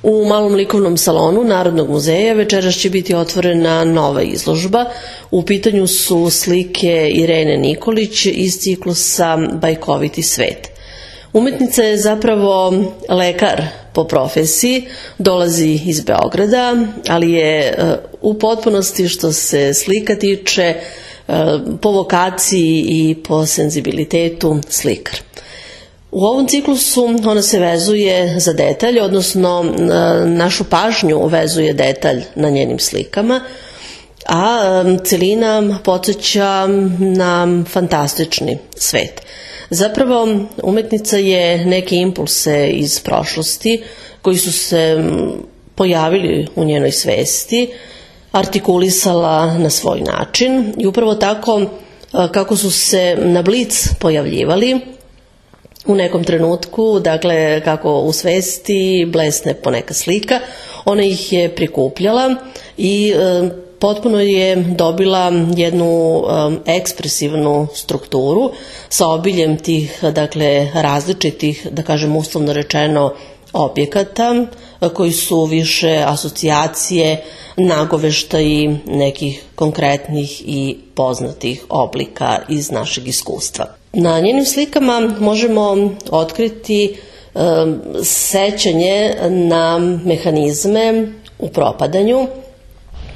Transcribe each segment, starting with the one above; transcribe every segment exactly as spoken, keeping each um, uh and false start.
U malom likovnom salonu Narodnog muzeja večeras će biti otvorena nova izložba. U pitanju su slike Irene Nikolić iz ciklusa Bajkoviti svet. Umetnica je zapravo lekar po profesiji, dolazi iz Beograda, ali je u potpunosti što se slika tiče po vokaciji i po senzibilitetu slikar. U ovom ciklusu ona se vezuje za detalj, odnosno našu pažnju vezuje detalj na njenim slikama, a celina podsjeća na fantastični svet. Zapravo, umetnica je neke impulse iz prošlosti koji su se pojavili u njenoj svesti, artikulisala na svoj način i upravo tako kako su se na blic pojavljivali u nekom trenutku, dakle kako u svesti blesne poneka slika, ona ih je prikupljala i e, potpuno je dobila jednu um, ekspresivnu strukturu sa obiljem tih, dakle, različitih, da kažem uslovno rečeno, objekata koji su više asocijacije, nagoveštaji nekih konkretnih i poznatih oblika iz našeg iskustva. Na njenim slikama možemo otkriti um, sećanje na mehanizme u propadanju.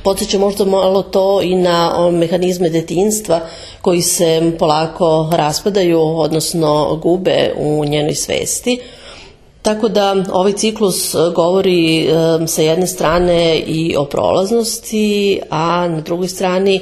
Podsjeća možda malo to i na mehanizme detinjstva koji se polako raspadaju, odnosno gube u njenoj svesti. Tako da ovaj ciklus govori e, sa jedne strane i o prolaznosti, a na drugoj strani, e,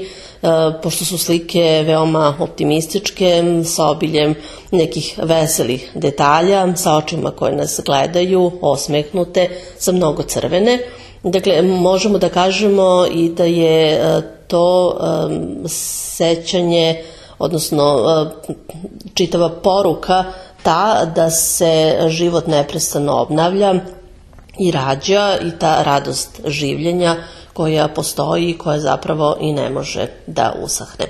pošto su slike veoma optimističke, sa obiljem nekih veselih detalja, sa očima koje nas gledaju, osmehnute, sa mnogo crvene. Dakle, možemo da kažemo i da je to um, sećanje, odnosno uh, čitava poruka ta da se život neprestano obnavlja i rađa i ta radost življenja koja postoji i koja zapravo i ne može da usahne.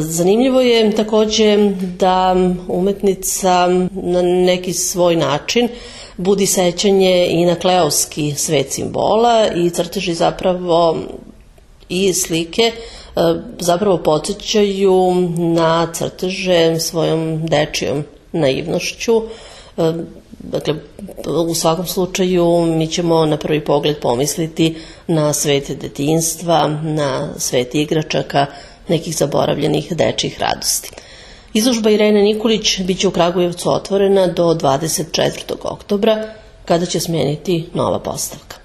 Zanimljivo je takođe da umetnica na neki svoj način budi sećanje i na kleovski svet simbola i crteži zapravo i slike zapravo podsjećaju na crteže svojom dečijom naivnošću. Dakle, u svakom slučaju mi ćemo na prvi pogled pomisliti na svet detinjstva, na svet igračaka, nekih zaboravljenih dečjih radosti. Izložba Irene Nikolić biće u Kragujevcu otvorena do dvadeset četvrtog oktobra, kada će smeniti nova postavka.